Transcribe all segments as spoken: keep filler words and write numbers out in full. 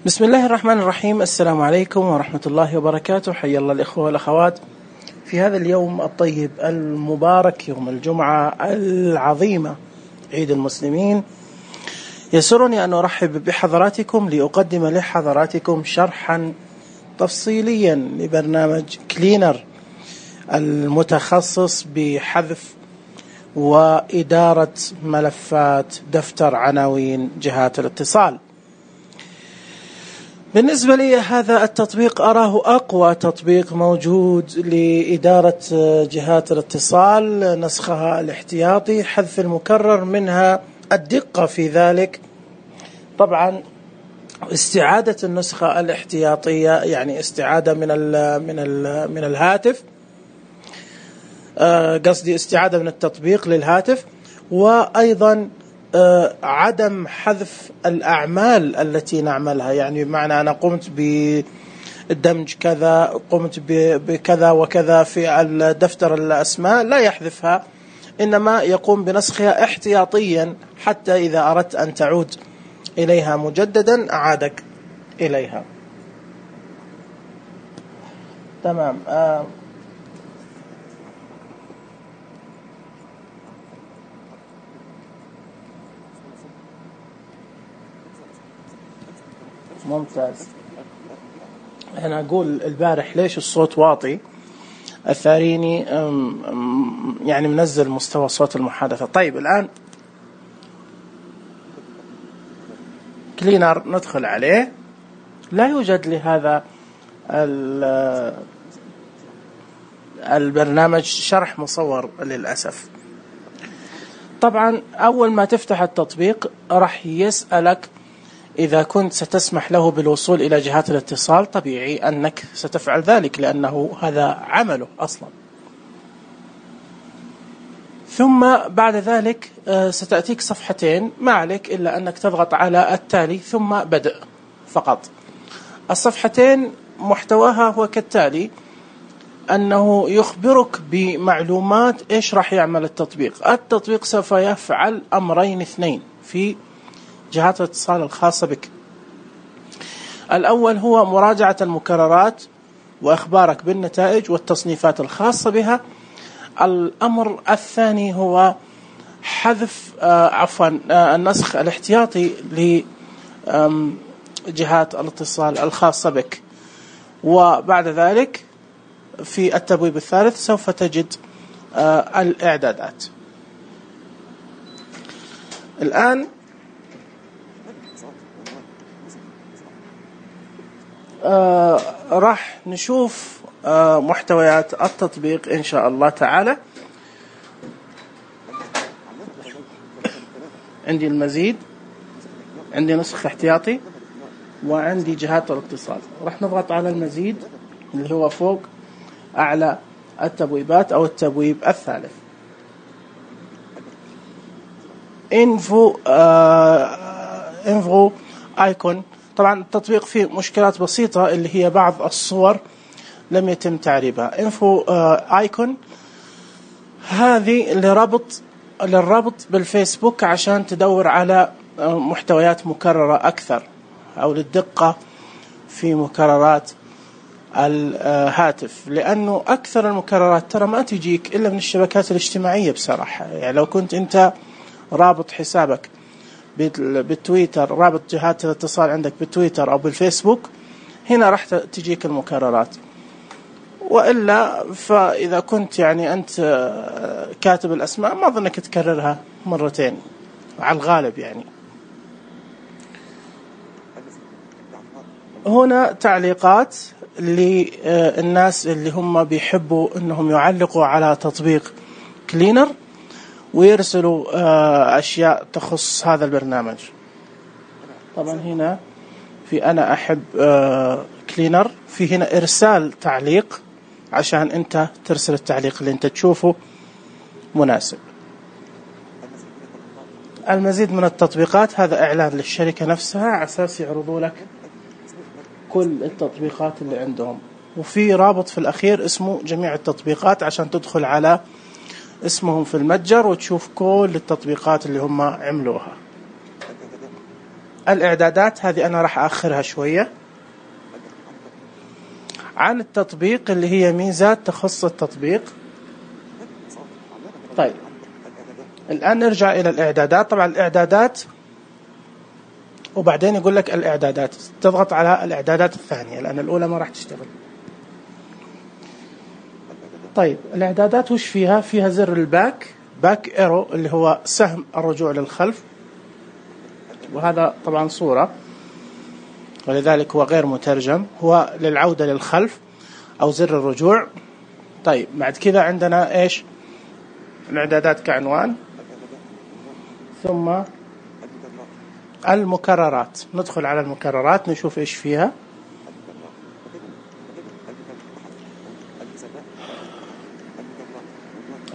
بسم الله الرحمن الرحيم. السلام عليكم ورحمة الله وبركاته. حيا الله الإخوة والأخوات في هذا اليوم الطيب المبارك، يوم الجمعة العظيمة، عيد المسلمين. يسرني أن أرحب بحضراتكم لأقدم لحضراتكم شرحا تفصيليا لبرنامج كلينر المتخصص بحذف وإدارة ملفات دفتر عناوين جهات الاتصال. بالنسبة لي هذا التطبيق أراه أقوى تطبيق موجود لإدارة جهات الاتصال، نسخها الاحتياطي، حذف المكرر، منها الدقة في ذلك. طبعا استعادة النسخة الاحتياطية يعني استعادة من ال من ال من الهاتف، قصدي استعادة من التطبيق للهاتف، وأيضا عدم حذف الأعمال التي نعملها، يعني بمعنى أنا قمت بدمج كذا، قمت بكذا وكذا في الدفتر الأسماء، لا يحذفها، إنما يقوم بنسخها احتياطيا حتى إذا أردت أن تعود إليها مجددا أعادك إليها. تمام. آه ممتاز. أنا أقول البارح ليش الصوت واطي، أثاريني يعني منزل مستوى صوت المحادثة. طيب الآن كلينر ندخل عليه، لا يوجد لهذا البرنامج شرح مصور للأسف. طبعا أول ما تفتح التطبيق راح يسألك إذا كنت ستسمح له بالوصول إلى جهات الاتصال. طبيعي أنك ستفعل ذلك لأنه هذا عمله أصلا. ثم بعد ذلك ستأتيك صفحتين، ما عليك إلا أنك تضغط على التالي ثم بدء فقط. الصفحتين محتواها هو كالتالي: أنه يخبرك بمعلومات إيش راح يعمل التطبيق. التطبيق سوف يفعل أمرين اثنين في جهات الاتصال الخاصة بك. الأول هو مراجعة المكررات وإخبارك بالنتائج والتصنيفات الخاصة بها. الأمر الثاني هو حذف آه عفوا آه النسخ الاحتياطي لجهات الاتصال الخاصة بك. وبعد ذلك في التبويب الثالث سوف تجد آه الإعدادات. الآن آه راح نشوف آه محتويات التطبيق إن شاء الله تعالى. عندي المزيد، عندي نسخ احتياطي، وعندي جهات الاتصال. راح نضغط على المزيد اللي هو فوق أعلى التبويبات أو التبويب الثالث. انفو آه انفو ايكون. طبعا التطبيق فيه مشكلات بسيطة اللي هي بعض الصور لم يتم تعريبها. انفو ايكون هذه لربط للربط بالفيسبوك عشان تدور على محتويات مكررة أكثر، أو للدقة في مكررات الهاتف، لأنه أكثر المكررات ترى ما تجيك إلا من الشبكات الاجتماعية بصراحة. يعني لو كنت أنت رابط حسابك بالتويتر، رابط جهات الاتصال عندك بالتويتر أو بالفيسبوك، هنا راح تجيك المكررات. وإلا فإذا كنت يعني أنت كاتب الأسماء ما أظنك تكررها مرتين على الغالب. يعني هنا تعليقات للناس اللي هم بيحبوا أنهم يعلقوا على تطبيق كلينر ويرسلوا أشياء تخص هذا البرنامج. طبعا هنا في أنا أحب كلينر، في هنا إرسال تعليق عشان أنت ترسل التعليق اللي أنت تشوفه مناسب. المزيد من التطبيقات هذا إعلان للشركة نفسها على أساس يعرضوا لك كل التطبيقات اللي عندهم. وفي رابط في الأخير اسمه جميع التطبيقات عشان تدخل على اسمهم في المتجر وتشوف كل التطبيقات اللي هم عملوها. الإعدادات هذه أنا راح أأخرها شوية عن التطبيق اللي هي ميزات تخص التطبيق. طيب الآن نرجع إلى الإعدادات. طبعا الإعدادات وبعدين يقول لك الإعدادات، تضغط على الإعدادات الثانية لأن الأولى ما راح تشتغل. طيب الإعدادات وش فيها؟ فيها زر الباك باك إيرو اللي هو سهم الرجوع للخلف، وهذا طبعا صورة ولذلك هو غير مترجم، هو للعودة للخلف أو زر الرجوع. طيب بعد كذا عندنا إيش؟ الإعدادات كعنوان، ثم المكررات. ندخل على المكررات نشوف إيش فيها.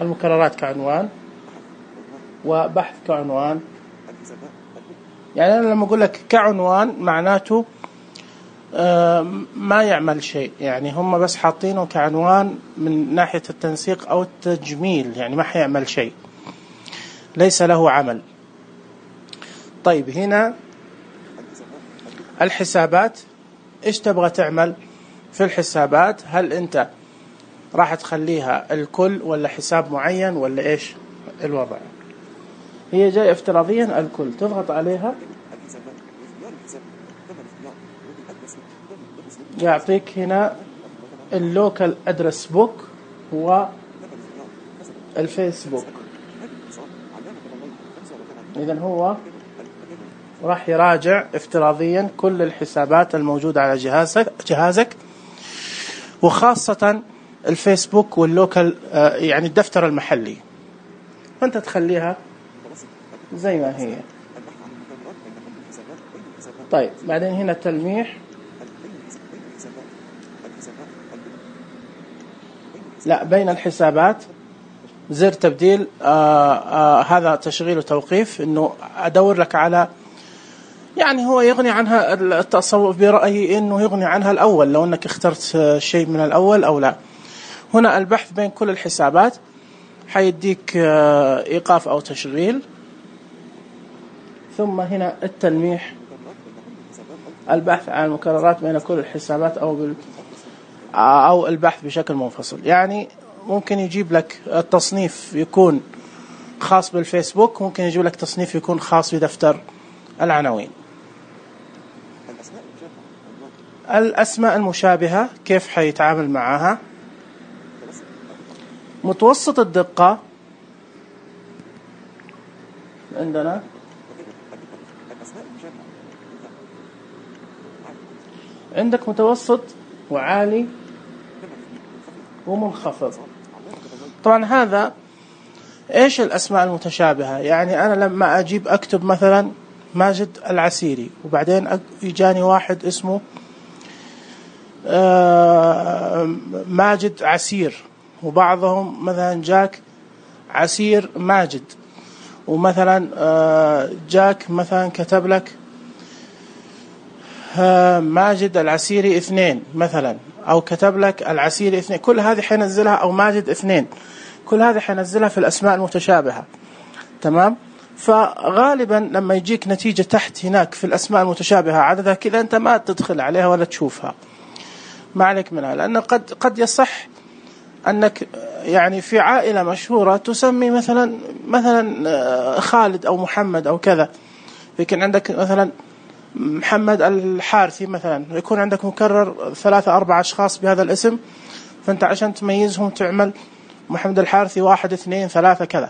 المكررات كعنوان وبحث كعنوان. يعني أنا لما أقول لك كعنوان معناته ما يعمل شيء، يعني هم بس حاطينه كعنوان من ناحية التنسيق أو التجميل، يعني ما حيعمل شيء، ليس له عمل. طيب هنا الحسابات، إيش تبغى تعمل في الحسابات؟ هل أنت راح تخليها الكل ولا حساب معين ولا إيش الوضع؟ هي جاي افتراضيا الكل، تضغط عليها يعطيك هنا اللوكال ادرس بوك والفيسبوك. إذن هو راح يراجع افتراضيا كل الحسابات الموجودة على جهازك جهازك وخاصة الفيسبوك واللوكال يعني الدفتر المحلي، فأنت تخليها زي ما هي. طيب بعدين هنا تلميح، لا بين الحسابات زر تبديل. آآ آآ هذا تشغيل وتوقيف، إنه أدور لك على، يعني هو يغني عنها التصور برأيي إنه يغني عنها الأول لو أنك اخترت شيء من الأول أو لا. هنا البحث بين كل الحسابات حيديك إيقاف أو تشغيل. ثم هنا التلميح، البحث عن المكررات بين كل الحسابات أو بال أو البحث بشكل منفصل. يعني ممكن يجيب لك التصنيف يكون خاص بالفيسبوك، ممكن يجيب لك تصنيف يكون خاص بدفتر العناوين. الأسماء المشابهة كيف حيتعامل معها؟ متوسط الدقة عندنا عندك متوسط وعالي ومنخفض. طبعا هذا ايش الأسماء المتشابهة؟ يعني أنا لما أجيب أكتب مثلا ماجد العسيري وبعدين يجاني واحد اسمه ماجد عسير، وبعضهم مثلا جاك عسير ماجد، ومثلا جاك مثلا كتب لك ماجد العسيري اثنين مثلا، أو كتب لك العسيري اثنين. كل هذه حينزلها، أو ماجد اثنين، كل هذه حينزلها في الأسماء المتشابهة. تمام؟ فغالبا لما يجيك نتيجة تحت هناك في الأسماء المتشابهة عددها كذا، أنت ما تدخل عليها ولا تشوفها، ما عليك منها، لأن قد قد يصح أنك يعني في عائلة مشهورة تسمي مثلا مثلا خالد أو محمد أو كذا، لكن عندك مثلا محمد الحارثي مثلا، يكون عندك مكرر ثلاثة أربعة أشخاص بهذا الاسم، فأنت عشان تميزهم تعمل محمد الحارثي واحد اثنين ثلاثة كذا،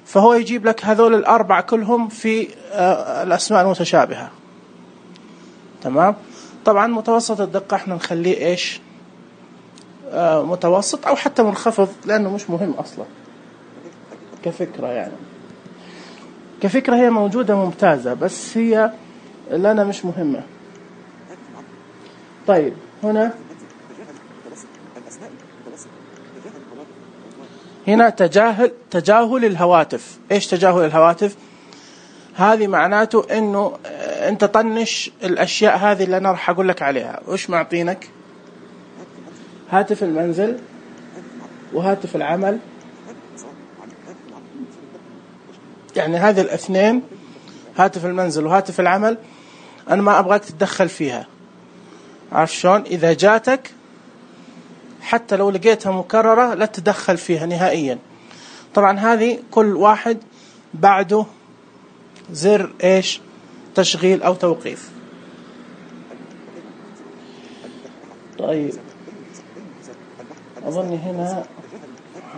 فهو يجيب لك هذول الأربعة كلهم في الأسماء المتشابهة. تمام؟ طبعا متوسط الدقة احنا نخليه ايش؟ آه متوسط أو حتى منخفض، لأنه مش مهم أصلا كفكرة. يعني كفكرة هي موجودة ممتازة، بس هي لنا مش مهمة. طيب هنا هنا تجاهل تجاهل الهواتف. ايش تجاهل الهواتف؟ هذه معناته انه انت طنش الاشياء هذه اللي انا راح اقول لك عليها. وش معطينك؟ هاتف المنزل وهاتف العمل، يعني هذه الاثنين، هاتف المنزل وهاتف العمل، أنا ما أبغاك تتدخل فيها. عارف شلون؟ إذا جاتك حتى لو لقيتها مكررة لا تتدخل فيها نهائيا. طبعا هذه كل واحد بعده زر إيش تشغيل أو توقيف. طيب أظني هنا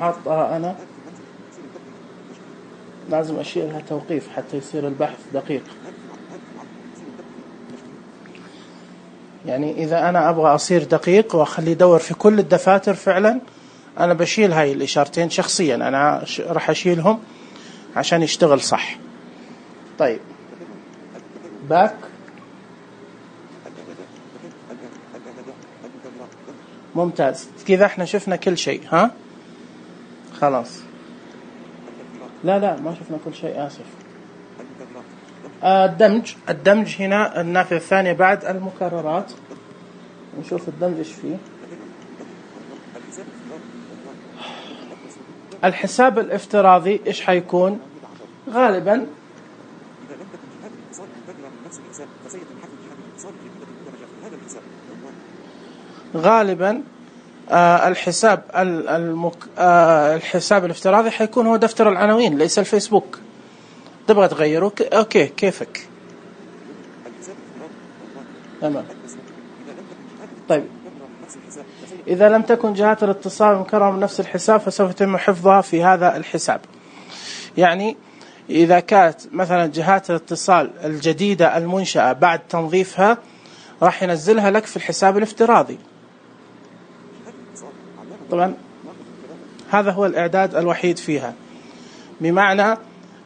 حاطها أنا، لازم أشيلها توقيف حتى يصير البحث دقيق. يعني إذا أنا أبغى أصير دقيق وأخلي يدور في كل الدفاتر فعلا، أنا بشيل هاي الإشارتين شخصيا، أنا راح أشيلهم عشان يشتغل صح. طيب باك، ممتاز كذا احنا شفنا كل شيء. ها خلاص، لا لا ما شفنا كل شيء، آسف. آه الدمج، الدمج هنا النافذة الثانية بعد المكررات، نشوف الدمج ايش فيه. الحساب الافتراضي ايش حيكون؟ غالبا غالبا آه الحساب المك... آه الحساب الافتراضي حيكون هو دفتر العناوين ليس الفيسبوك. تبغى تغيره ك... اوكي كيفك. تمام. طيب إذا لم تكن جهات الاتصال مكررة من نفس الحساب فسوف يتم حفظها في هذا الحساب. يعني إذا كانت مثلا جهات الاتصال الجديدة المنشأة بعد تنظيفها راح ينزلها لك في الحساب الافتراضي. طبعا هذا هو الإعداد الوحيد فيها، بمعنى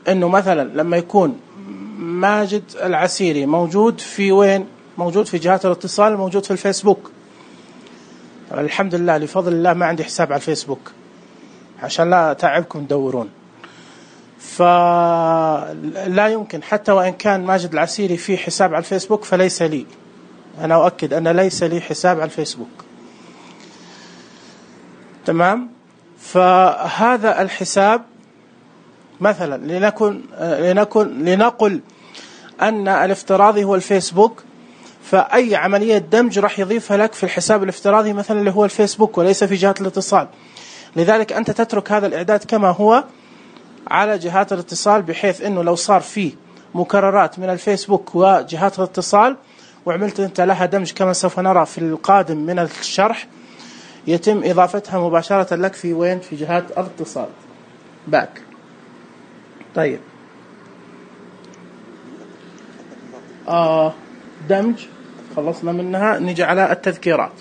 أنه مثلا لما يكون ماجد العسيري موجود في وين؟ موجود في جهات الاتصال، موجود في الفيسبوك. الحمد لله لفضل الله ما عندي حساب على الفيسبوك عشان لا أتعبكم تدورون، فلا يمكن حتى وإن كان ماجد العسيري في حساب على الفيسبوك فليس لي. أنا أؤكد أن ليس لي حساب على الفيسبوك. تمام. فهذا الحساب مثلا لنكن لنكن لنقل أن الافتراضي هو الفيسبوك، فأي عملية دمج راح يضيفها لك في الحساب الافتراضي مثلا اللي هو الفيسبوك وليس في جهات الاتصال. لذلك أنت تترك هذا الإعداد كما هو على جهات الاتصال، بحيث أنه لو صار فيه مكررات من الفيسبوك وجهات الاتصال وعملت أنت لها دمج كما سوف نرى في القادم من الشرح، يتم إضافتها مباشرة لك في وين؟ في جهات الاتصال. باك. طيب آه دمج خلصنا منها، نيجي على التذكيرات.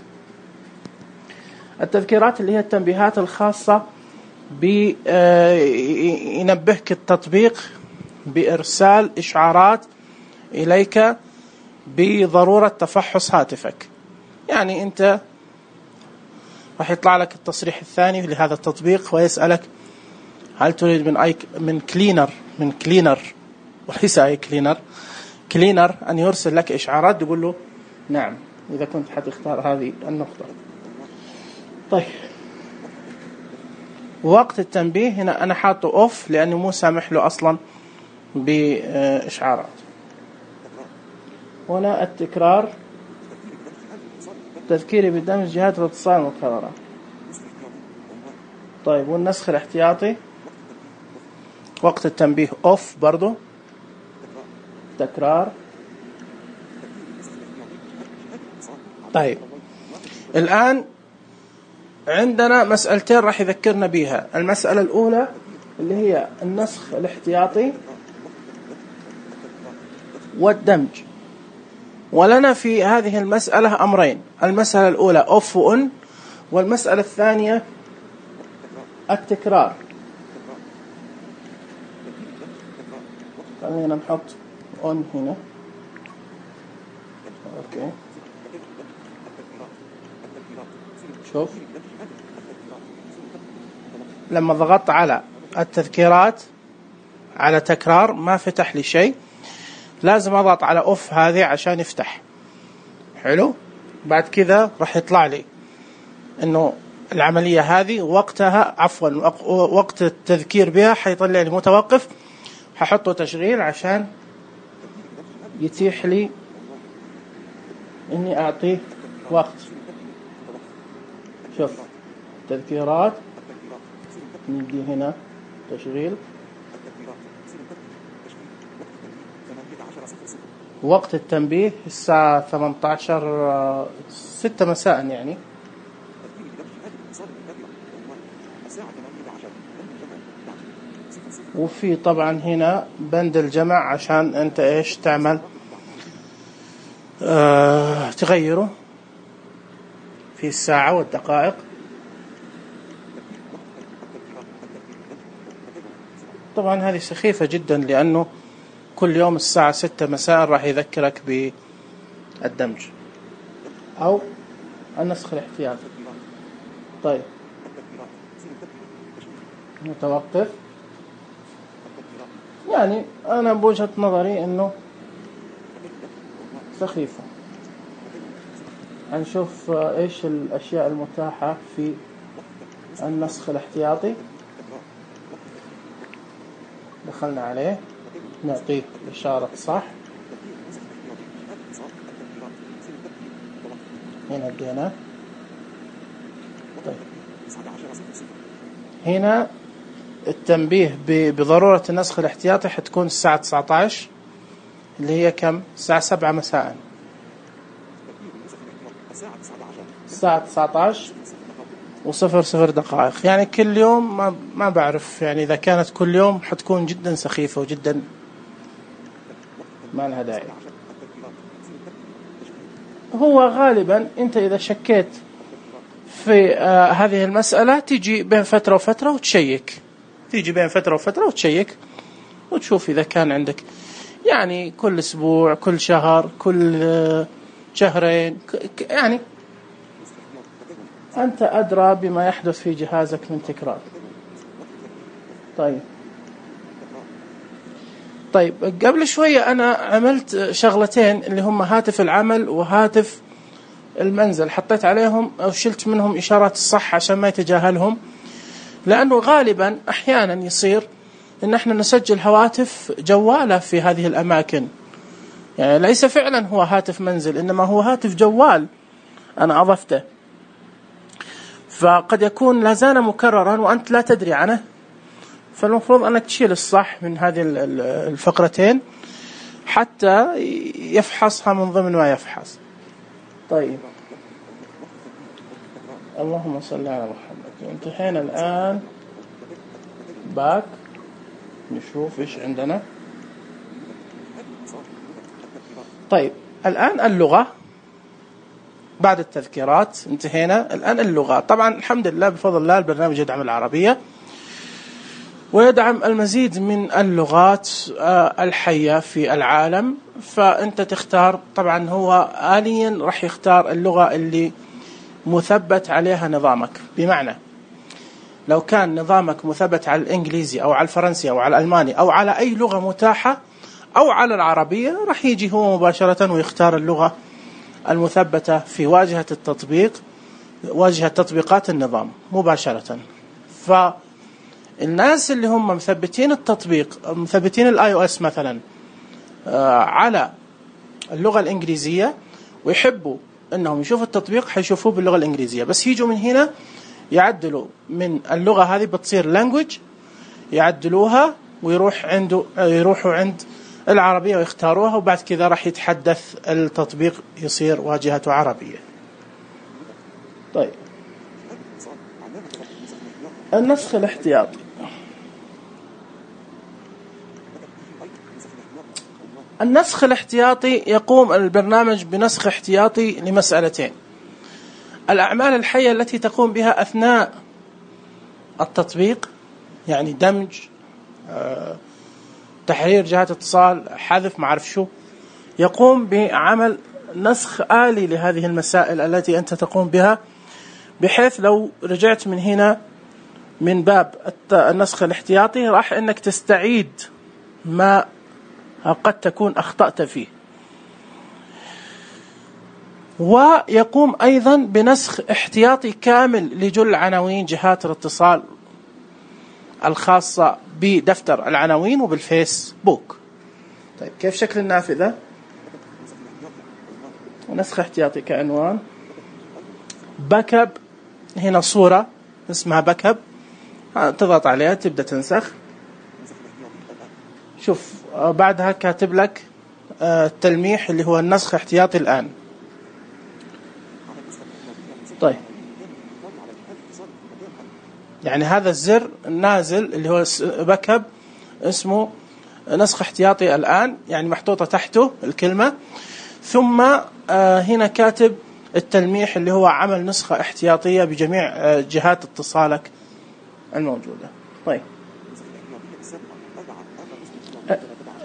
التذكيرات اللي هي التنبيهات الخاصة بينبهك التطبيق بإرسال إشعارات إليك بضرورة تفحص هاتفك. يعني أنت راح يطلع لك التصريح الثاني لهذا التطبيق ويسألك هل تريد من أي من كلينر من كلينر وليس أي كلينر كلينر أن يرسل لك إشعارات، تقول له نعم إذا كنت حتختار هذه النقطة. طيب وقت التنبيه هنا أنا حاطه أوف لأنه مو سامح له أصلا بإشعارات. هنا التكرار، تذكيري بدمج جهات الاتصال المكررة. طيب والنسخ الاحتياطي وقت التنبيه أوف برضو. تكرار. طيب الآن عندنا مسألتين راح يذكرنا بها. المسألة الأولى اللي هي النسخ الاحتياطي والدمج، ولنا في هذه المسألة أمرين. المسألة الأولى أوف وأون، والمسألة الثانية التكرار. خلينا نحط أون هنا. أوكي شوف لما ضغطت على التذكيرات على تكرار ما فتح لي شيء، لازم أضغط على أوف هذه عشان يفتح. حلو. بعد كذا راح يطلع لي إنه العملية هذه وقتها عفوا وقت التذكير بها حيطلع لي متوقف، ححطه تشغيل عشان يتيح لي إني أعطيه وقت. شوف تذكيرات، ندي هنا تشغيل، وقت التنبيه الساعة ثمانية عشر ستة مساء يعني. وفي طبعا هنا بند الجمع عشان أنت إيش تعمل، آه تغيره في الساعة والدقائق. طبعا هذه سخيفة جدا، لأنه كل يوم الساعة ستة مساء راح يذكرك بالدمج أو النسخ الاحتياطي. طيب متوقف، يعني أنا بوجهة نظري إنه سخيفة. هنشوف إيش الأشياء المتاحة في النسخ الاحتياطي. دخلنا عليه، نعطيه إشارة صح، هنا ادينا. طيب هنا التنبيه بضرورة النسخ الاحتياطي حتكون الساعة تسعة عشر، اللي هي كم؟ الساعة سبعة مساء. الساعة تسعة عشر وصفر صفر دقائق، يعني كل يوم. ما ما بعرف يعني إذا كانت كل يوم حتكون جدا سخيفة وجدا ما لها داعي. هو غالبا أنت إذا شكيت في آه هذه المسألة تيجي بين فترة وفترة وتشيك، تيجي بين فترة وفترة وتشيك وتشوف إذا كان عندك يعني كل أسبوع، كل شهر، كل آه شهرين، يعني أنت أدرى بما يحدث في جهازك من تكرار. طيب طيب قبل شوية أنا عملت شغلتين اللي هم هاتف العمل وهاتف المنزل، حطيت عليهم أو شلت منهم إشارات الصح عشان ما يتجاهلهم، لأنه غالبا أحيانا يصير إن احنا نسجل هواتف جوالة في هذه الأماكن، يعني ليس فعلا هو هاتف منزل إنما هو هاتف جوال أنا أضفته، فقد يكون لا زال مكررا وأنت لا تدري عنه. فالمفروض أنك تشيل الصح من هذه الفقرتين حتى يفحصها من ضمن ما يفحص. طيب اللهم صل على محمد. انتهينا الآن باك، نشوف إيش عندنا. طيب الآن اللغة، بعد التذكيرات انتهينا. الآن اللغة، طبعا الحمد لله بفضل الله البرنامج يدعم العربية ويدعم المزيد من اللغات الحية في العالم، فأنت تختار. طبعا هو آليا راح يختار اللغة اللي مثبت عليها نظامك، بمعنى لو كان نظامك مثبت على الإنجليزي أو على الفرنسي أو على الألماني أو على أي لغة متاحة أو على العربية، راح يجي هو مباشرة ويختار اللغة المثبتة في واجهة التطبيق، واجهة تطبيقات النظام مباشرة. فالناس اللي هم مثبتين التطبيق، مثبتين الاي او اس مثلا على اللغة الإنجليزية ويحبوا أنهم يشوفوا التطبيق، حيشوفوه باللغة الإنجليزية، بس يجوا من هنا يعدلوا من اللغة هذه بتصير language، يعدلوها ويروح عنده يروحوا عند العربية ويختاروها، وبعد كذا راح يتحدث التطبيق يصير واجهته عربية. طيب النسخ الاحتياطي. النسخ الاحتياطي يقوم البرنامج بنسخ احتياطي لمسألتين: الأعمال الحية التي تقوم بها أثناء التطبيق، يعني دمج، أه، تحرير جهات اتصال، حذف، ما أعرف شو، يقوم بعمل نسخ آلي لهذه المسائل التي أنت تقوم بها، بحيث لو رجعت من هنا من باب النسخ الاحتياطي راح أنك تستعيد ما قد تكون أخطأت فيه. ويقوم أيضا بنسخ احتياطي كامل لجل عناوين جهات الاتصال الخاصة بدفتر العناوين وبالفيسبوك. طيب كيف شكل النافذة؟ نسخ احتياطي كعنوان. باك اب، هنا صورة اسمها باك اب، تضغط عليها تبدأ تنسخ. شوف بعدها كاتب لك التلميح اللي هو النسخ احتياطي الآن. طيب يعني هذا الزر نازل اللي هو باك اب اسمه نسخ احتياطي الآن، يعني محطوطة تحته الكلمة، ثم هنا كاتب التلميح اللي هو عمل نسخة احتياطية بجميع جهات اتصالك الموجودة. طيب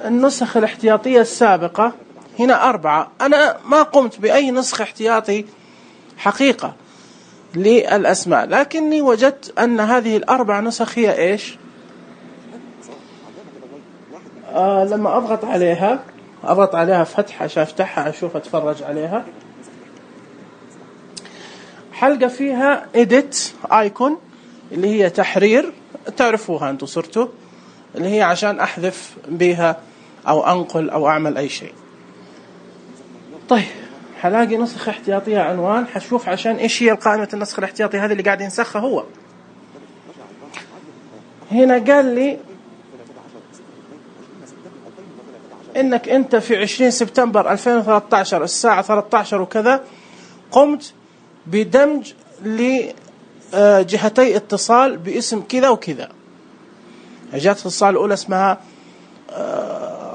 النسخ الاحتياطية السابقة هنا أربعة، أنا ما قمت بأي نسخ احتياطي حقيقة للأسماء، لكني وجدت أن هذه الأربع نسخ هي إيش؟ آه لما أضغط عليها أضغط عليها فتح عشان أفتحها أشوف أتفرج عليها. حلقة فيها edit icon اللي هي تحرير، تعرفوها أنتوا صرتوا، اللي هي عشان أحذف بها أو أنقل أو أعمل أي شيء. طيب حلاقي نسخ احتياطية عنوان، حشوف عشان إيش هي القائمة النسخ الاحتياطي هذه اللي قاعد ينسخها هو. هنا قال لي إنك أنت في عشرين سبتمبر ألفين وثلاثة عشر الساعة ثلاثة عشر وكذا قمت بدمج لجهتي اتصال باسم كذا وكذا. جهة الاتصال الأولى اسمها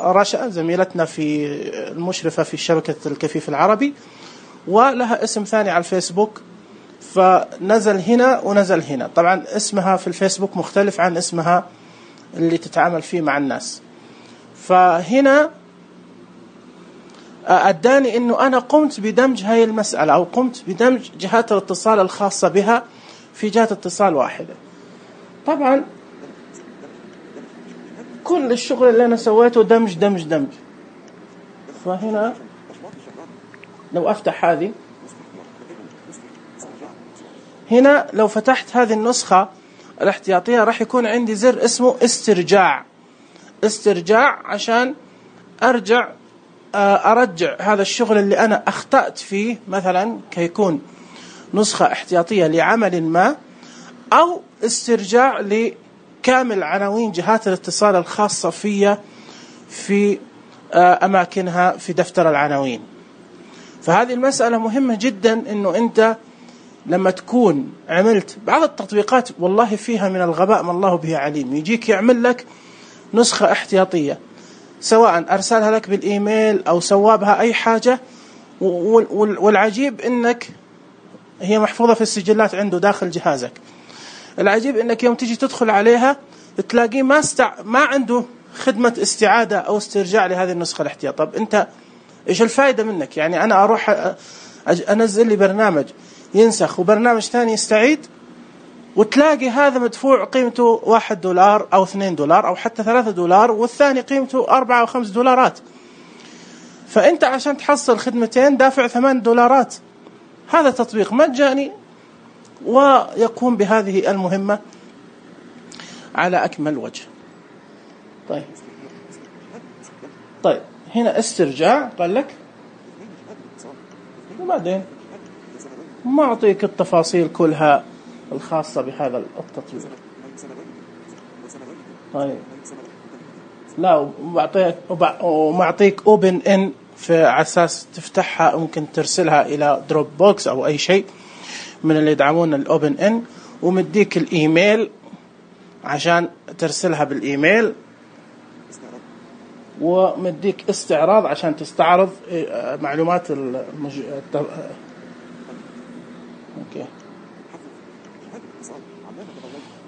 رشا، زميلتنا في المشرفة في شبكة الكفيف العربي، ولها اسم ثاني على الفيسبوك، فنزل هنا ونزل هنا. طبعا اسمها في الفيسبوك مختلف عن اسمها اللي تتعامل فيه مع الناس. فهنا أداني إنه أنا قمت بدمج هاي المسألة أو قمت بدمج جهات الاتصال الخاصة بها في جهة اتصال واحدة. طبعا كل الشغل اللي أنا سويته دمج دمج دمج. فهنا لو أفتح هذه، هنا لو فتحت هذه النسخة الاحتياطية راح يكون عندي زر اسمه استرجاع. استرجاع عشان أرجع أرجع هذا الشغل اللي أنا أخطأت فيه، مثلا كيكون نسخة احتياطية لعمل ما، أو استرجاع لكامل عناوين جهات الاتصال الخاصة فيها في أماكنها في دفتر العناوين. فهذه المسألة مهمة جدا، إنه أنت لما تكون عملت بعض التطبيقات والله فيها من الغباء ما الله به عليم، يجيك يعمل لك نسخة احتياطية سواء أرسلها لك بالإيميل أو سوابها أي حاجة، والعجيب إنك هي محفوظة في السجلات عنده داخل جهازك. العجيب إنك يوم تيجي تدخل عليها تلاقيه ما استع... ما عنده خدمة استعادة أو استرجاع لهذه النسخة الاحتياطية. طب أنت إيش الفائدة منك؟ يعني أنا أروح أنزل لي برنامج ينسخ وبرنامج ثاني يستعيد، وتلاقي هذا مدفوع قيمته واحد دولار أو اثنين دولار أو حتى ثلاثة دولار، والثاني قيمته أربعة أو خمس دولارات. فأنت عشان تحصل خدمتين دافع ثمان دولارات. هذا تطبيق مجاني ويقوم بهذه المهمة على أكمل وجه. طيب طيب هنا استرجاع قال لك، وبعدين ما أعطيك التفاصيل كلها الخاصة بهذا التطبيق. طيب لا وبعطيك ومعطيك اوبن ان في على اساس تفتحها، ممكن ترسلها الى دروب بوكس او اي شيء من اللي يدعمون الاوبن ان، ومديك الايميل عشان ترسلها بالايميل، ومديك استعراض عشان تستعرض معلومات المج... اوكي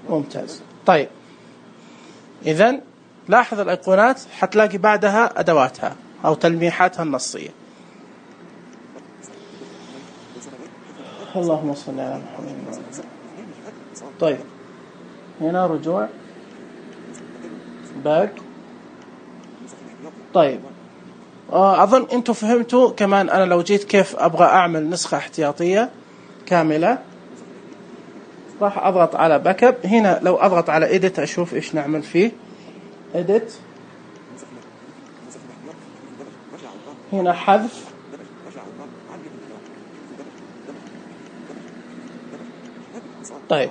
ممتاز. طيب إذن لاحظ الأيقونات حتلاقي بعدها أدواتها أو تلميحاتها النصية. اللهم صل على محمد. طيب هنا رجوع باك. طيب أظن أنتم فهمتوا كمان أنا لو جيت كيف أبغى أعمل نسخة احتياطية كاملة. راح أضغط على باك اب. هنا لو أضغط على edit أشوف إيش نعمل فيه. edit هنا حذف طيب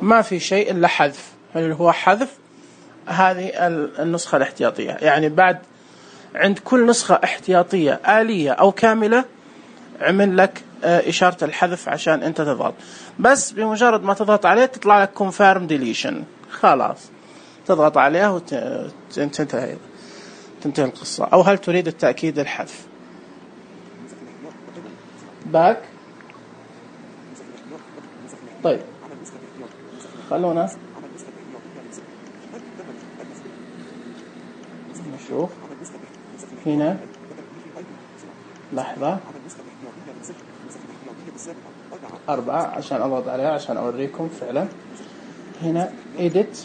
ما في شيء إلا حذف، اللي هو حذف هذه النسخة الاحتياطية. يعني بعد عند كل نسخة احتياطية آلية أو كاملة عمل لك إشارة الحذف عشان أنت تضغط، بس بمجرد ما تضغط عليه تطلع لك confirm deletion، خلاص تضغط عليها وتنتهي تنتهي القصة. أو هل تريد التأكيد الحذف؟ باك. طيب خلونا نشوف هنا، لحظة أربعة عشان أضغط عليها عشان أوريكم فعلا. هنا edit،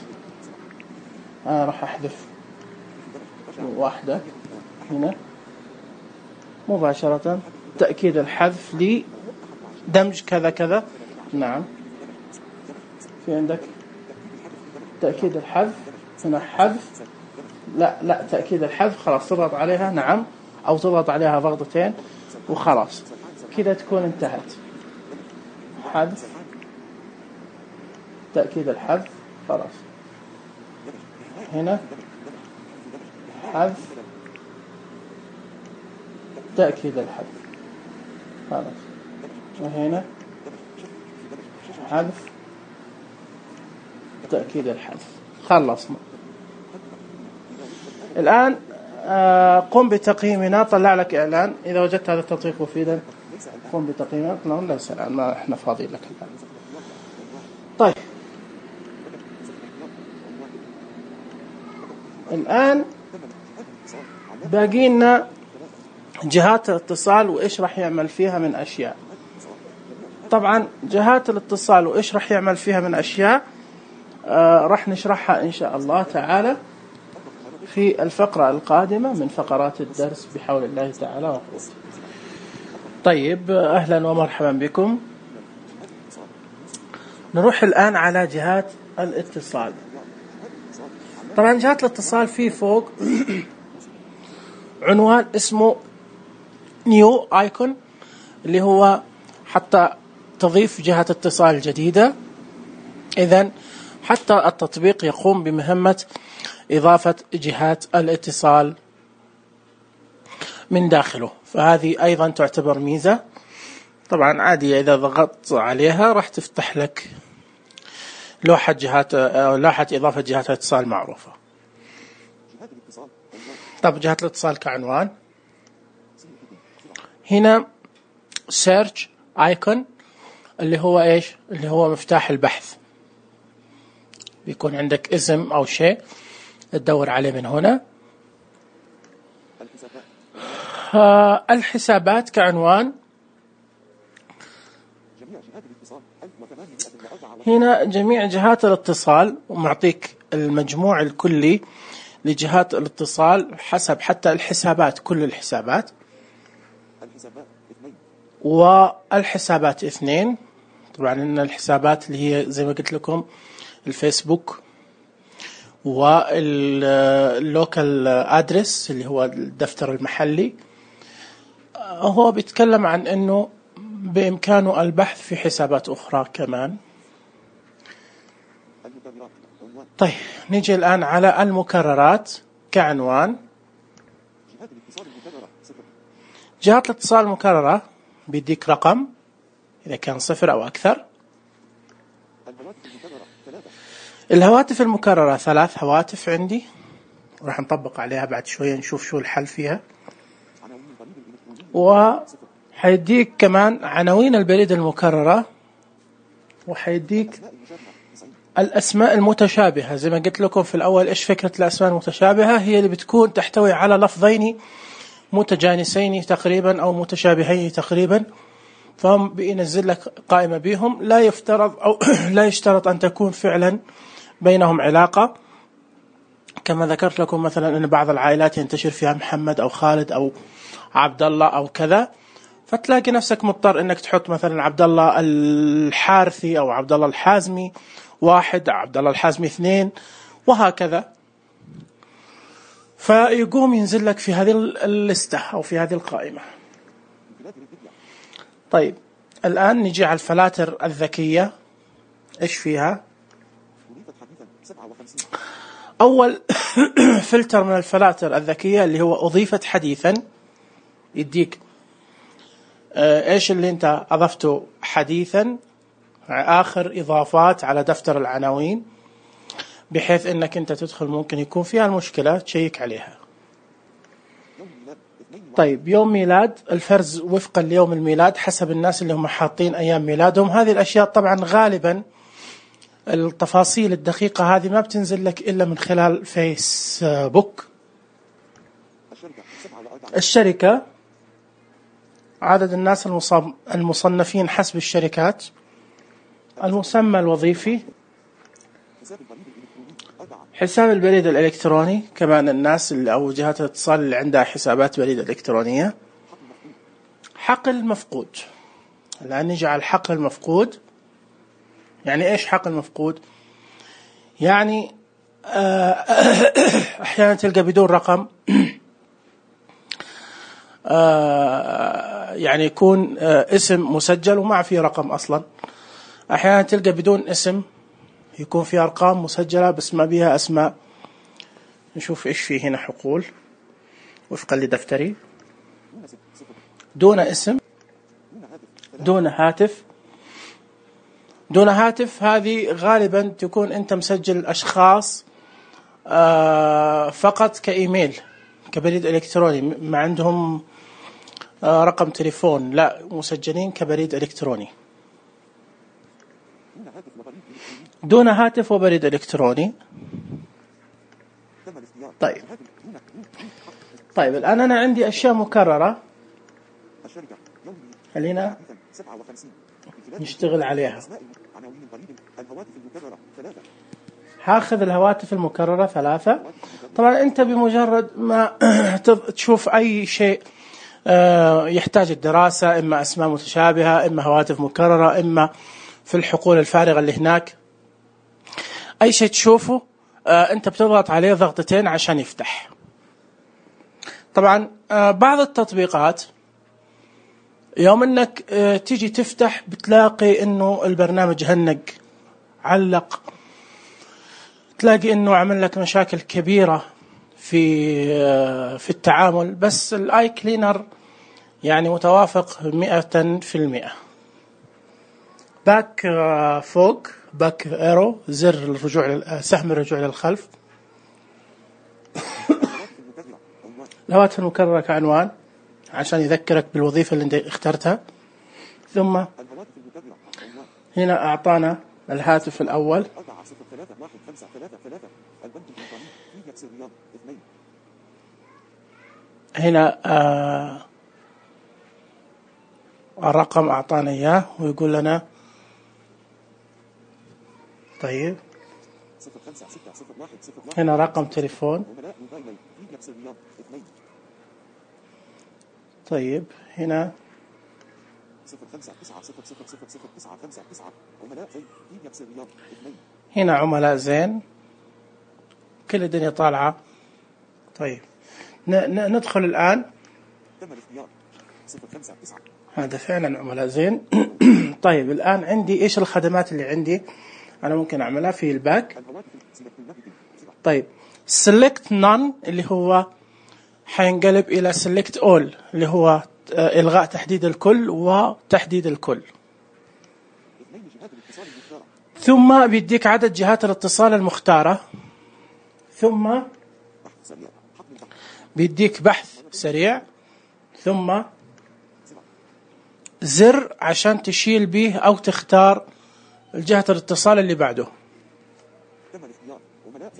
أنا راح أحذف واحدة هنا مباشرة، تأكيد الحذف لدمج كذا كذا. نعم في عندك تأكيد الحذف هنا، حذف لا لا تأكيد الحذف، خلاص تضغط عليها نعم، أو تضغط عليها ضغطتين وخلاص كذا تكون انتهت. حذف تأكيد الحذف، خلاص هنا حذف تأكيد الحذف، خلاص وهنا حذف تأكيد الحذف، خلصنا. الآن قم بتقييمنا، طلع لك إعلان إذا وجدت هذا التطبيق مفيدا قم بتقييمنا. نقول ليس الآن، ما إحنا فاضيين لك الآن. طيب الآن باقي لنا جهات الاتصال وإيش راح يعمل فيها من أشياء. طبعا جهات الاتصال وإيش راح يعمل فيها من أشياء آه راح نشرحها إن شاء الله تعالى في الفقرة القادمة من فقرات الدرس بحول الله تعالى وقوته. طيب أهلا ومرحبا بكم. نروح الآن على جهات الاتصال. طبعا جهات الاتصال في فوق عنوان اسمه نيو ايكون، اللي هو حتى تضيف جهة اتصال جديدة. إذن حتى التطبيق يقوم بمهمة إضافة جهات الاتصال من داخله، فهذه أيضا تعتبر ميزة. طبعا عادية، إذا ضغطت عليها راح تفتح لك لوحة جهات لوحة إضافة جهات الاتصال معروفة. طب جهات الاتصال كعنوان هنا search icon، اللي هو إيش؟ اللي هو مفتاح البحث. بيكون عندك اسم أو شيء تدور عليه من هنا. آه الحسابات كعنوان، هنا جميع جهات الاتصال، ومعطيك المجموع الكلي لجهات الاتصال حسب حتى الحسابات، كل الحسابات. والحسابات اثنين، طبعا إن الحسابات اللي هي زي ما قلت لكم الفيسبوك واللوكال ادرس اللي هو الدفتر المحلي. هو بيتكلم عن انه بامكانه البحث في حسابات اخرى كمان. طيب نيجي الان على المكررات كعنوان. جهات الاتصال المكررة بيديك رقم اذا كان صفر او اكثر. الهواتف المكررة ثلاث هواتف عندي، راح نطبق عليها بعد شوية نشوف شو الحل فيها. وحيديك كمان عناوين البريد المكررة، وحيديك الأسماء المتشابهة. زي ما قلت لكم في الأول، إيش فكرة الأسماء المتشابهة؟ هي اللي بتكون تحتوي على لفظين متجانسين تقريبا أو متشابهين تقريبا، فهم بينزل لك قائمة بهم. لا يفترض أو لا يشترط أن تكون فعلا بينهم علاقة، كما ذكرت لكم مثلا أن بعض العائلات ينتشر فيها محمد أو خالد أو عبد الله أو كذا، فتلاقي نفسك مضطر أنك تحط مثلا عبد الله الحارثي أو عبد الله الحازمي واحد، عبد الله الحازمي اثنين، وهكذا. فيقوم ينزل لك في هذه اللستة أو في هذه القائمة. طيب الآن نجي على الفلاتر الذكية إيش فيها؟ أول فلتر من الفلاتر الذكية اللي هو أضيفت حديثا، يديك إيش اللي أنت أضفته حديثا، آخر إضافات على دفتر العناوين، بحيث أنك أنت تدخل ممكن يكون فيها المشكلة تشيك عليها. طيب يوم ميلاد، الفرز وفقا ليوم الميلاد حسب الناس اللي هم حاطين أيام ميلادهم. هذه الأشياء طبعا غالبا التفاصيل الدقيقة هذه ما بتنزل لك إلا من خلال فيسبوك. الشركة، عدد الناس المصنفين حسب الشركات، المسمى الوظيفي، حساب البريد الإلكتروني، كمان الناس اللي أو جهات الاتصال اللي عندها حسابات بريد إلكترونية. حقل المفقود، الآن نجي على الحقل المفقود. يعني إيش حقل المفقود؟ يعني أحيانا تلقى بدون رقم، يعني يكون اسم مسجل وما فيه رقم أصلا. أحيانا تلقى بدون اسم، يكون في أرقام مسجلة بس ما بيها أسماء. نشوف إيش فيه هنا. حقول وفقا لدفتري، دون اسم، دون هاتف. دون هاتف هذه غالبا تكون أنت مسجل أشخاص فقط كإيميل، كبريد إلكتروني، ما عندهم رقم تليفون، لا، مسجلين كبريد إلكتروني. دون هاتف وبريد إلكتروني. طيب طيب الآن أنا عندي أشياء مكررة، خلينا نشتغل عليها. هاخذ الهواتف المكررة ثلاثة. طبعا أنت بمجرد ما تشوف أي شيء يحتاج الدراسة، إما أسماء متشابهة، إما هواتف مكررة، إما في الحقول الفارغة اللي هناك، أي شيء تشوفه أنت بتضغط عليه ضغطتين عشان يفتح. طبعا بعض التطبيقات يوم أنك تيجي تفتح بتلاقي أنه البرنامج هنج، علق، تلاقي أنه عمل لك مشاكل كبيرة في في التعامل. بس الآي كلينر يعني متوافق مئة في المئة. باك فوق، باك ايرو، زر الرجوع، سهم الرجوع للخلف. الهواتف المكررة كعنوان عشان يذكرك بالوظيفة اللي انت اخترتها. ثم هنا أعطانا الهاتف الأول، هنا آه الرقم أعطانا إياه ويقول لنا طيب هنا رقم تليفون. طيب هنا هنا عملاء زين، كل الدنيا طالعة. طيب ندخل الآن، هذا فعلا عملاء زين. طيب الآن عندي إيش الخدمات اللي عندي أنا ممكن أعملها في الباك. طيب select none اللي هو حينقلب إلى select all اللي هو إلغاء تحديد الكل وتحديد الكل. ثم بيديك عدد جهات الاتصال المختارة، ثم بيديك بحث سريع، ثم زر عشان تشيل به أو تختار الجهة الاتصال اللي بعده.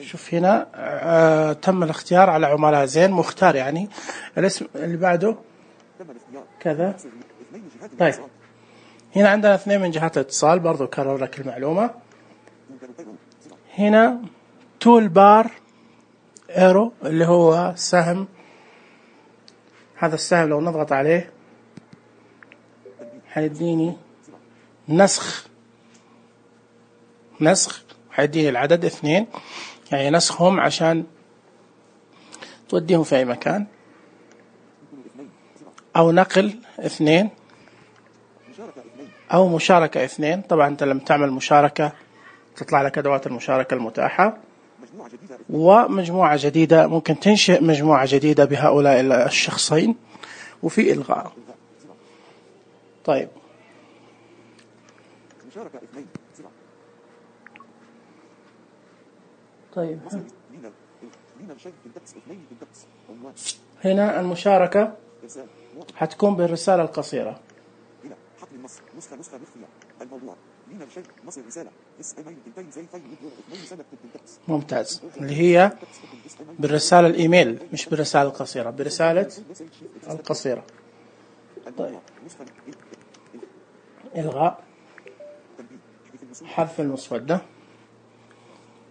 شوف هنا آه تم الاختيار على عملاء زين، مختار يعني الاسم اللي بعده كذا. طيب هنا عندنا اثنين من جهات الاتصال، برضو كرر لك المعلومة. هنا تول بار ايرو اللي هو سهم، هذا السهم لو نضغط عليه حيديني نسخ، نسخ حيديني العدد اثنين، يعني نسخهم عشان توديهم في أي مكان، أو نقل اثنين، أو مشاركة اثنين. طبعا أنت لما تعمل مشاركة تطلع لك أدوات المشاركة المتاحة، ومجموعة جديدة ممكن تنشئ مجموعة جديدة بهؤلاء الشخصين، وفي إلغاء. طيب طيب هنا المشاركة حتكون بالرسالة القصيرة. ممتاز، اللي هي بالرسالة الإيميل مش بالرسالة القصيرة، برسالة القصيرة. طيب إلغاء، حذف المسودة.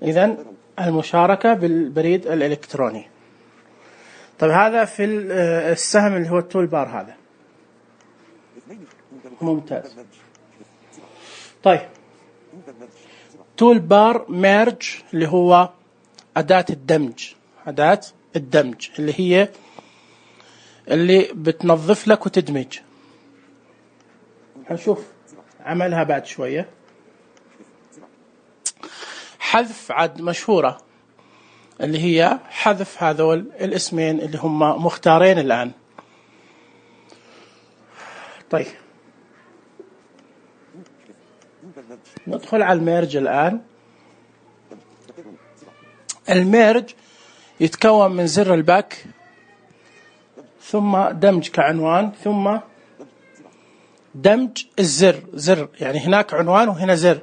إذن المشاركة بالبريد الإلكتروني. طيب هذا في السهم اللي هو التول بار هذا. ممتاز. طيب تول بار ميرج اللي هو أداة الدمج، أداة الدمج اللي هي اللي بتنظف لك وتدمج. هنشوف عملها بعد شوية. حذف عد مشهورة اللي هي حذف هذول الاسمين اللي هم مختارين الآن. طيب ندخل على الميرج الآن. الميرج يتكون من زر الباك، ثم دمج كعنوان، ثم دمج الزر. زر يعني هناك عنوان وهنا زر.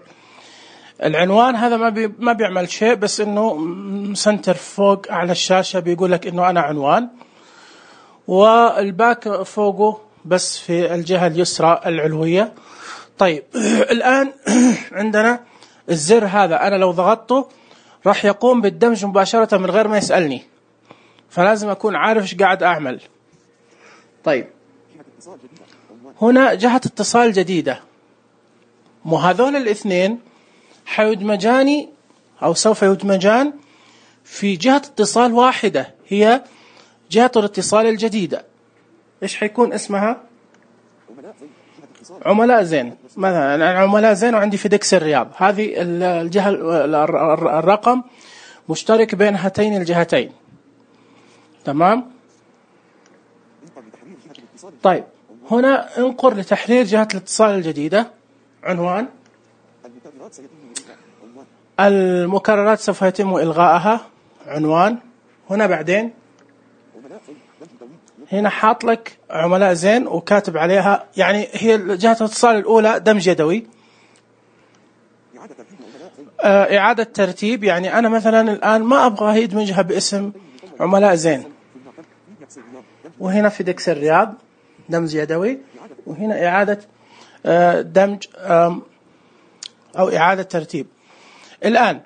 العنوان هذا ما بي ما بيعمل شيء، بس انه سنتر فوق على الشاشة بيقول لك انه انا عنوان، والباك فوقه بس في الجهة اليسرى العلوية. طيب الآن عندنا الزر هذا، أنا لو ضغطته راح يقوم بالدمج مباشرة من غير ما يسألني، فلازم أكون عارف إيش قاعد أعمل. طيب هنا جهة اتصال جديدة، مو هذول الاثنين حيدمجاني أو سوف يدمجان في جهة اتصال واحدة، هي جهة الاتصال الجديدة. إيش حيكون اسمها؟ عملاء زين. مثلا أنا عملاء زين وعندي فيدكس الرياض، هذه الجهة الرقم مشترك بين هاتين الجهتين. تمام. طيب هنا انقر لتحرير جهة الاتصال الجديدة. عنوان المكررات سوف يتم إلغائها. عنوان. هنا بعدين هنا حاط لك عملاء زين وكاتب عليها، يعني هي جهة الاتصال الأولى دمج يدوي. آه إعادة ترتيب، يعني أنا مثلا الآن ما أبغى يدمجها باسم عملاء زين. وهنا في دكس الرياض دمج يدوي، وهنا إعادة آه دمج آه أو إعادة ترتيب. الآن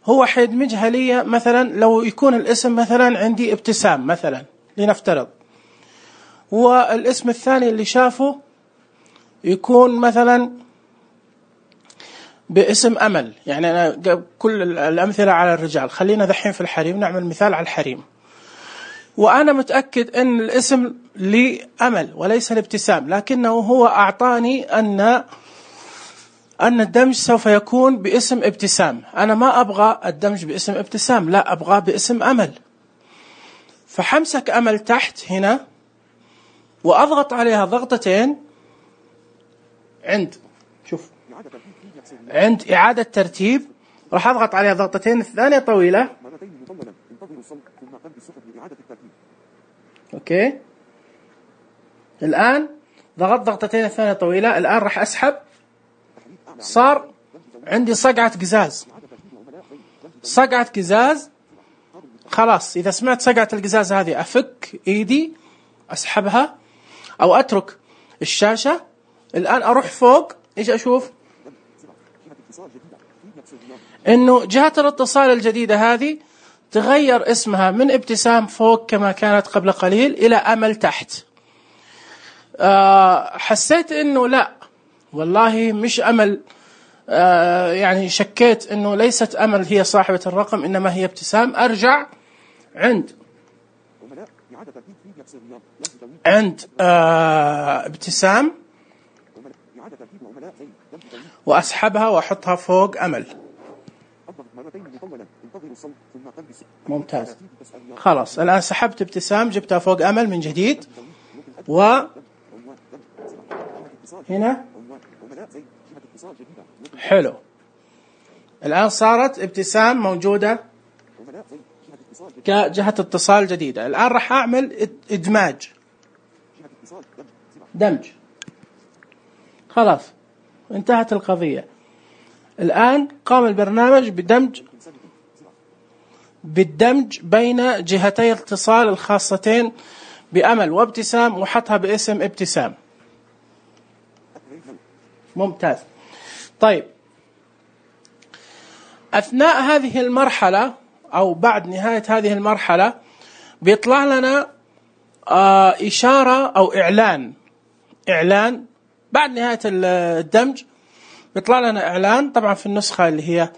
هو حيدمجها لي مثلا لو يكون الاسم مثلا عندي ابتسام مثلا لنفترض، والاسم الثاني اللي شافه يكون مثلا باسم أمل. يعني أنا كل الأمثلة على الرجال، خلينا ذحين في الحريم نعمل مثال على الحريم، وأنا متأكد أن الاسم لأمل وليس الابتسام، لكنه هو أعطاني أن أن الدمج سوف يكون باسم ابتسام. أنا ما أبغى الدمج باسم ابتسام، لا أبغى باسم أمل. فحمسك أمل تحت هنا وأضغط عليها ضغطتين عند شوف عند إعادة ترتيب، راح أضغط عليها ضغطتين، الثانية طويلة. أوكي الآن ضغط ضغطتين الثانية طويلة، الآن راح أسحب، صار عندي صقعة قزاز. صقعة قزاز خلاص، إذا سمعت صقعة القزاز هذه أفك إيدي أسحبها أو أترك الشاشة. الآن أروح فوق، إيش أشوف؟ إنه جهة الاتصال الجديدة هذه تغير اسمها من ابتسام فوق كما كانت قبل قليل إلى أمل تحت. أه حسيت إنه لا والله مش أمل، أه يعني شكيت إنه ليست أمل هي صاحبة الرقم إنما هي ابتسام. أرجع عند عند أه ابتسام وأسحبها وأحطها فوق أمل. ممتاز. خلاص الآن سحبت ابتسام، جبتها فوق أمل من جديد، و هنا حلو. الآن صارت ابتسام موجودة كجهة اتصال جديدة. الآن راح أعمل إدماج، دمج. خلاص انتهت القضية. الآن قام البرنامج بدمج بالدمج بين جهتي الاتصال الخاصتين بأمل وابتسام، وحطها باسم ابتسام. ممتاز. طيب أثناء هذه المرحلة أو بعد نهاية هذه المرحلة بيطلع لنا آه إشارة أو إعلان. إعلان بعد نهاية الدمج بيطلع لنا إعلان. طبعا في النسخة اللي هي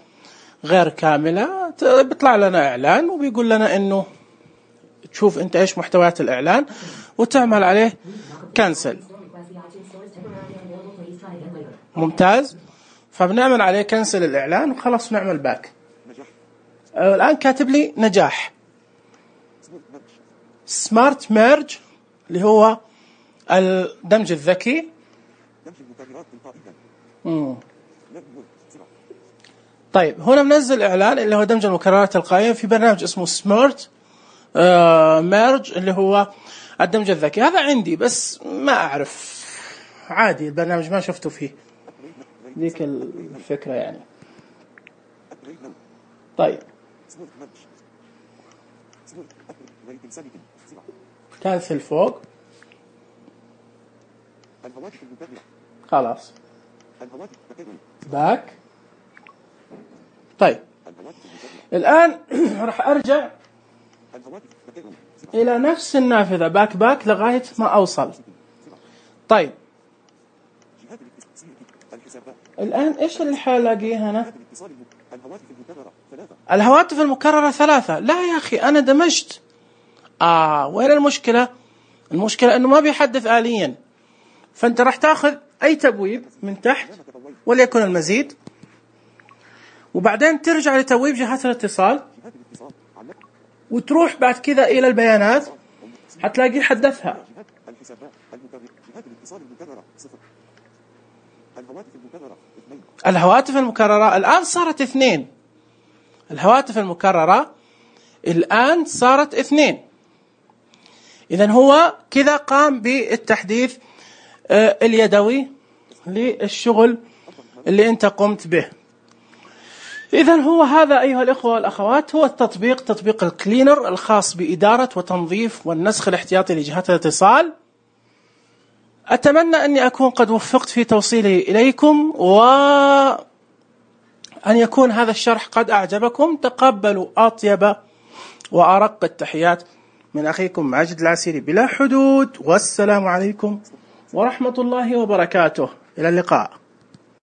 غير كاملة بيطلع لنا إعلان وبيقول لنا إنه تشوف أنت إيش محتويات الإعلان وتعمل عليه كنسل. ممتاز. فبنعمل عليه كنسل الإعلان وخلاص نعمل باك. الآن كاتب لي نجاح. سمارت ميرج اللي هو الدمج الذكي. مم. طيب هنا بنزل إعلان اللي هو دمج المكررات التلقائية في برنامج اسمه سمارت آه ميرج اللي هو الدمج الذكي. هذا عندي بس ما أعرف، عادي البرنامج ما شفته فيه، ذيك الفكرة يعني. طيب كانسل فوق. خلاص باك. طيب الآن راح أرجع إلى نفس النافذة باك باك لغاية ما أوصل. طيب الآن إيش اللي حالاقيه هنا؟ الهواتف المكررة ثلاثة. لا يا أخي أنا دمجت. آه وين المشكلة؟ المشكلة أنه ما بيحدث آليا. فأنت راح تأخذ أي تبويب من تحت وليكن المزيد، وبعدين ترجع لتبويب جهات الاتصال وتروح بعد كذا إلى البيانات هتلاقي حدثها. الهواتف المكررة الآن صارت اثنين. الهواتف المكررة الآن صارت اثنين. إذن هو كذا قام بالتحديث اليدوي للشغل اللي أنت قمت به. إذن هو هذا أيها الإخوة والأخوات هو التطبيق، تطبيق الكلينر الخاص بإدارة وتنظيف والنسخ الاحتياطي لجهات الاتصال. أتمنى أني أكون قد وفقت في توصيلي إليكم، وأن يكون هذا الشرح قد أعجبكم. تقبلوا أطيب وأرق التحيات من أخيكم ماجد العسيري بلا حدود، والسلام عليكم ورحمة الله وبركاته. إلى اللقاء.